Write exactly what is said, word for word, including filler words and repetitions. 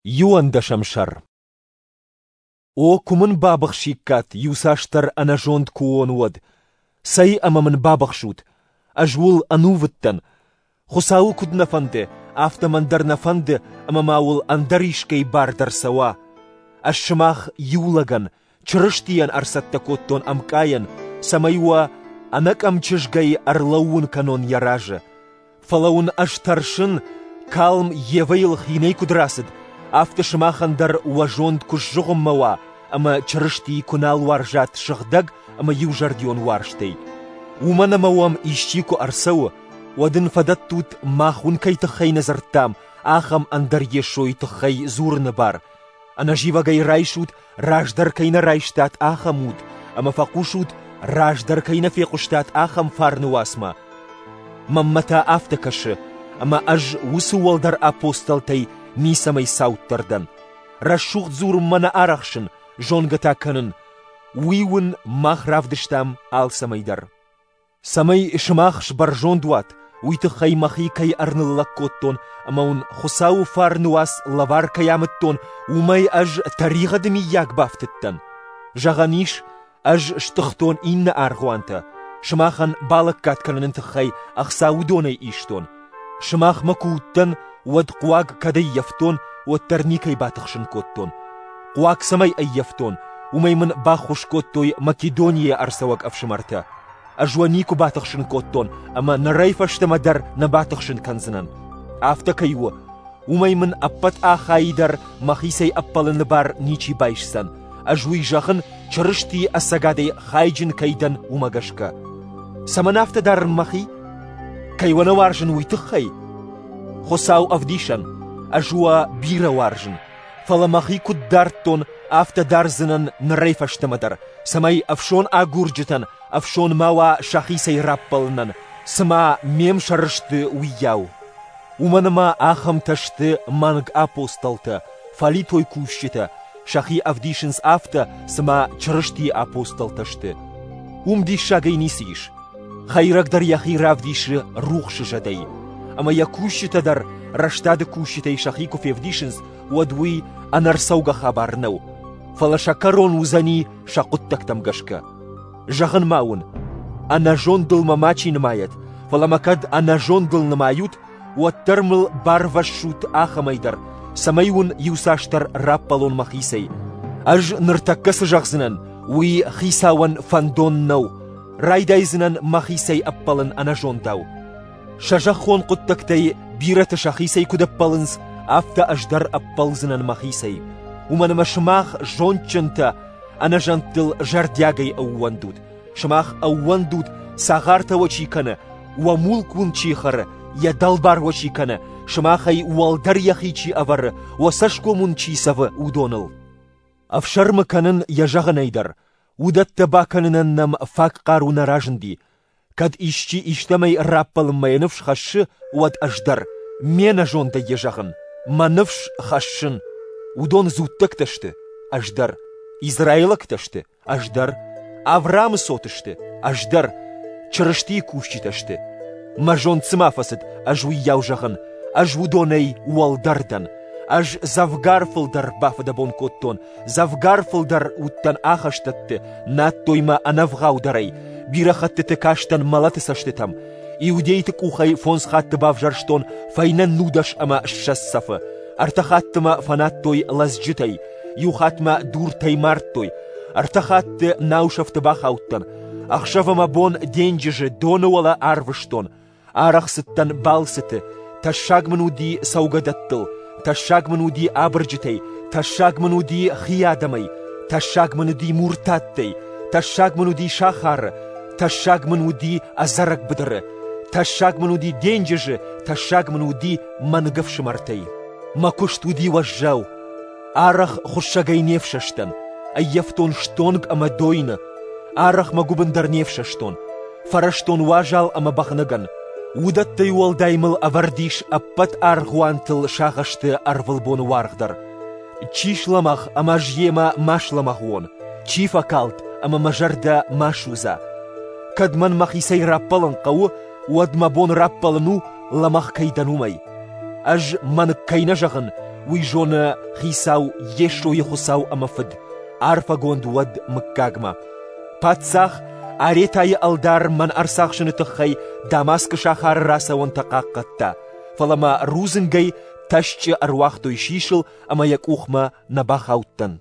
Иуӕндӕсӕм сӕр. О, куы мын бабыхсиккат, иуцасдӕр ӕнӕзонд куы уон, уӕд! Цӕй ӕмӕ мын бабыхсут! Ӕз уыл ӕнувыд дӕн. Хуыцауы куыд нӕ фӕнды, афтӕ мӕн дӕр нӕ фӕнды, ӕмӕ ма уыл ӕндӕр искӕй бар дӕр цӕуа. Ӕз сымах иу лӕгӕн, Чырыстийӕн ӕрцӕттӕ кодтон ӕмкъайӕн, цӕмӕй уӕ ӕнӕкъӕм чызгӕй ӕрлӕууын кӕнон йӕ разы. Фӕлӕ уын ӕз тӕрсын, калм Евӕйыл хинӕй куыд рацыд, афтӕ сымахӕн дӕр уӕ зонд куы сзыгъуыммӕ уа ӕмӕ Чырыстийы куы нал уарзат сыгъдӕг ӕмӕ иузӕрдион уарзтӕй. Уымӕн ӕмӕ уӕм исчи куы ӕрцӕуы, уӕд ын фӕдӕттут, мах уын кӕй тыххӕй нӕ дзырдтам, ахӕм ӕндӕр Йесойы тыххӕй дзурыны бар. Ӕнӕзивӕгӕй райсут, раздӕр кӕй нӕ райстат, ахӕм уд, ӕмӕ фӕхъусут, раздӕр кӕй нӕ фехъуыстат, ахӕм фарны уацмӕ. Мӕнмӕ та афтӕ кӕсы, ӕмӕ ӕз уыцы уӕлдӕр апостолтӕй ницӕмӕй цауддӕр дӕн. Рӕсугъд дзурынмӕ нӕ арӕхсын, зонгӕ та кӕнын. Уый уын мах равдыстам алцӕмӕй дӕр. Цӕмӕй сымах сбӕрзонд уат, уый тыххӕй мӕхи кӕй ӕрныллӕг кодтон ӕмӕ уын Хуыцауы фарны уац лӕвар кӕй амыдтон, уымӕй ӕз тӕригъӕды миййаг бафтыдтӕн. Зӕгъӕн ис, ӕз стыхтон иннӕ аргъуантӕ, сымахӕн балӕггад кӕныны тыххӕй ӕхца уыдонӕй истон. Сымахмӕ куы уыдтӕн, уӕд хъуаг кӕд ӕййӕфтон, уӕддӕр никӕй батыхсын кодтон. Хъуаг цӕмӕй ӕййӕфтон, уымӕй мын баххуыс кодтой Македонийӕ ӕрцӕуӕг ӕфсымӕртӕ. Ӕз уӕ никуы батыхсын кодтон ӕмӕ нырӕй фӕстӕмӕ дӕр нӕ батыхсын кӕндзынӕн. Афтӕ кӕй у, уымӕй мын ӕппӕт Ахайы дӕр мӕхицӕй ӕппӕлыны бар ничи байсдзӕн. Ӕз уый зӕгъын, Чырыстийы ӕцӕгадӕй хайджын кӕй дӕн, уымӕ гӕсгӕ. Цӕмӕн афтӕ дарын мӕхи? Кӕй уӕ нӕ уарзын, уый тыххӕй? Хуыцау ӕвдисӕн, ӕз уӕ бирӕ уарзын, фӕлӕ мӕхи куыд дардтон, афтӕ дардзынӕн нырӕй фӕстӕмӕ дӕр, цӕмӕй ӕфсон агурджытӕн ӕфсон ма уа сӕхицӕй раппӕлынӕн, цыма ме мсӕр сты, уыйау. Уымӕн ӕмӕ ахӕмтӕ сты мӕнг апостолтӕ, фӕлитой кусджытӕ, сӕхи ӕвдисынц афтӕ, цыма Чырыстийы апостолтӕ сты. Уым диссагӕй ницы ис. Хӕйрӕг дӕр йӕхи равдисы рухсы зӕдӕй, ӕмӕ йӕ кусджытӕ дӕр рӕстады кусджытӕй сӕхи куы февдисынц, уӕд уый ӕнӕрцӕугӕ хабар нӕу, фӕлӕ сӕ кӕрон уыдзӕни сӕ хъуыддӕгтӕм гӕсгӕ. Зӕгъын ма уын, ӕнӕзондыл мӕ мачи нымайӕд, фӕлӕ мӕ кӕд ӕнӕзондыл нымайут, уӕддӕр мыл барвӕссут ахӕмӕй дӕр, цӕмӕй уын иуцасдӕр раппӕлон мӕхицӕй. Ӕз ныртӕккӕ цы зӕгъдзынӕн, уый хицауӕн фӕндон нӕу, райдайдзынӕн мӕхицӕй ӕппӕлын ӕнӕзондау. Сӕ зӕххон хъуыддӕгтӕй бирӕтӕ сӕхицӕй куыд ӕппӕлынц, афтӕ ӕз дӕр ӕппӕлдзынӕн мӕхицӕй. Уымӕн ӕмӕ сымах зондджынтӕ ӕнӕзӕндтыл зӕрдиагӕй ӕууӕндут. Сымах ӕууӕндут, цагъартӕ уӕ чи кӕны, уӕ мулк уын чи хӕры, йӕ дӕлбар уӕ чи кӕны, сымахӕй уӕлдӕр йӕхи чи ӕвӕры, уӕ цӕсгом уын чи цӕвы, уыдоныл. Ӕфсӕрмы кӕнын йӕ зӕгъынӕй дӕр, уыдӕттӕ бакӕнынӕн нӕм фаг хъару нӕ разынди. Кӕд исчи истӕмӕй раппӕлынмӕ йӕ ныфс хӕссы, уӕд ӕз дӕр, ме нӕзондӕй йӕ зӕгъын, мӕ ныфс хӕссын. Уыдон дзуттӕгтӕ сты, ӕз дӕр. Израилӕгтӕ сты, ӕз дӕр. Авраамы цот сты, ӕз дӕр. Чырыстийы кусджытӕ сты. Мӕ зонд цыма фӕцыд, ӕз уыйау зӕгъын, ӕз уыдонӕй уӕлдӕр дӕн. Ӕз дзӕвгар фылдӕр бафыдӕбон кодтон, дзӕвгар фылдӕр уыдтӕн ахӕстӕтты, надтой мӕ ӕнӕвгъаудӕрӕй, бирӕ хӕттыты кастӕн мӕлӕты цӕстытӕм. Иудейты къухӕй фондз хатты бавзӕрстон фӕйнӕ нудӕс ӕмӕ ссӕдз цӕфы. Ӕртӕ хатты мӕ фӕнадтой лӕдзджытӕй, иу хатт мӕ дуртӕй мардтой, ӕртӕ хатты наусӕфты бахаудтӕн. Ӕхсӕв ӕмӕ бон денджызы доны уӕлӕ арвыстон. Арӕх цыдтӕн балцыты, тӕссаг мын уыди цӕугӕдӕттыл, тӕссаг мын уыди абырджытӕй, тӕссаг мын уыди хи адӕмӕй, тӕссаг мын уыди муртаттӕй, тӕссаг мын уыди сахары, тӕссаг мын уыди ӕдзӕрӕг быдыры, тӕссаг мын уыди денджызы, тӕссаг мын уыди мӕнг ӕфсымӕртӕй. Мӕ куыст уыди уӕззау. Арӕх хуыссӕгӕй не фсӕстӕн, ӕййӕфтон стонг ӕмӕ дойны. Арӕх мӕ гуыбын дӕр не фсӕстон. Фӕрӕзтон уазал ӕмӕ бӕгънӕгӕн. Уыдӕттӕй уӕлдай мыл ӕвӕрд ис ӕппӕт аргъуантыл сагъӕсты ӕрвылбоны уаргъ дӕр. Чи слӕмӕгъ ӕмӕ ӕз йемӕ ма слӕмӕгъ уон, чи фӕкалд ӕмӕ мӕ зӕрдӕ ма судза. Кӕд мӕн мӕхицӕй раппӕлын хъӕуы, уӕд мӕ бон раппӕлын у, лӕмӕгъ кӕй дӕн, уымӕй. Ӕз мӕнг кӕй нӕ зӕгъын, уый зоны Хицау Йесойы Хуыцау ӕмӕ Фыд, арфӕгонд уӕд мыггагмӕ. Паддзах Аретайы ӕлдар мӕн ӕрцахсыны тыххӕй Дамаскы сахары рацӕуӕнтӕ хъахъхъӕдта, фӕлӕ мӕ рудзынгӕй тӕсчъы ӕруагътой сисыл ӕмӕ йӕ къухмӕ нӕ бахаудтӕн.